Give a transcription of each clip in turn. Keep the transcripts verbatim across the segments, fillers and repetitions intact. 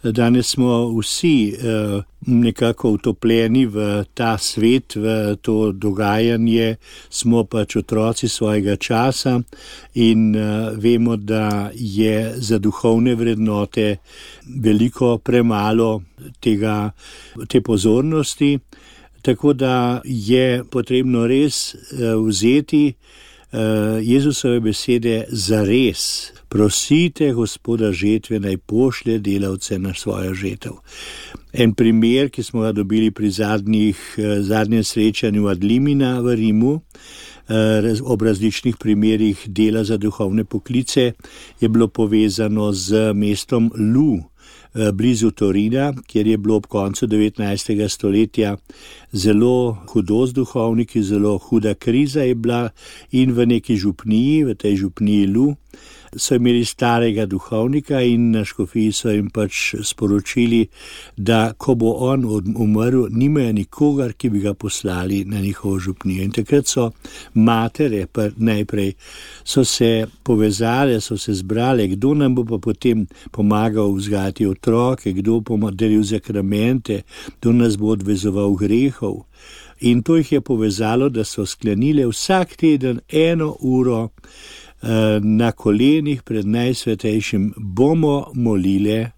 Danes smo vsi uh, nekako utopljeni v ta svet, v to dogajanje, smo pač otroci svojega časa in uh, vemo, da je za duhovne vrednote veliko premalo tega, te pozornosti, tako da je potrebno res uh, vzeti uh, Jezusove besede za res. Prosite Gospoda žetve, naj pošlje delavce na svojo žetev. En primer, ki smo ga dobili pri zadnjih, zadnjem srečanju ad limina v Rimu, ob različnih primerih dela za duhovne poklice, je bilo povezano z mestom Lu, blizu Torina, kjer je bilo ob koncu devetnajstega stoletja zelo hudo z duhovniki, zelo huda kriza je bila in v neki župniji, v tej župniji Lu, so imeli starega duhovnika in na škofiji so jim pač sporočili, da ko bo on umrl, nimajo nikogar, ki bi ga poslali na njihovo župnijo. In takrat so matere najprej so se povezale, so se zbrale, kdo nam bo pa potem pomagal vzgajati otroke, kdo bo delil zakramente, kdo nas bo odvezoval grehov. In to jih je povezalo, da so sklenile vsak teden eno uro na kolenih pred najsvetejšim bomo molile,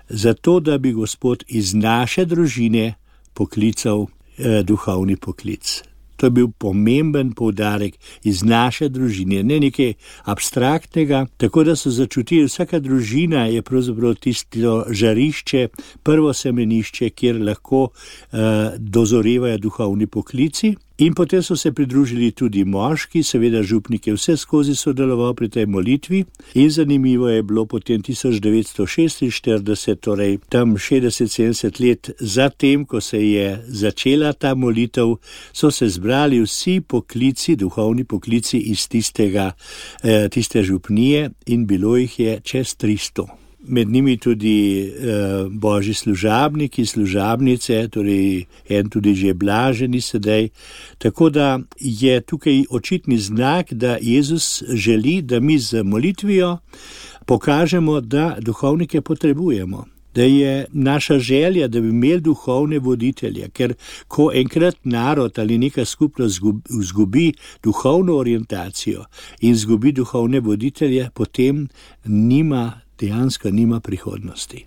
zato da bi Gospod iz naše družine poklical eh, duhovni poklic. To je bil pomemben poudarek, iz naše družine, ne nekaj abstraktnega, tako da so začutili, vsaka družina je pravzaprav tisto žarišče, prvo semenišče, kjer lahko eh, dozorevajo duhovni poklici. In potem so se pridružili tudi moški, seveda župnik je vse skozi sodeloval pri tej molitvi in zanimivo je bilo potem tisoč devetsto šestinštirideset, torej tam šestdeset sedemdeset let zatem, ko se je začela ta molitev, so se zbrali vsi poklici, duhovni poklici iz tistega, eh, tiste župnije in bilo jih je čez tristo. Med njimi tudi eh, božji služabniki, služabnice, torej en tudi že blaženi sedaj. Tako da je tukaj očitni znak, da Jezus želi, da mi z molitvijo pokažemo, da duhovnike potrebujemo. Da je naša želja, da bi imeli duhovne voditelje, ker ko enkrat narod ali neka skupnost izgubi duhovno orientacijo in izgubi duhovne voditelje, potem nima dejansko nima prihodnosti.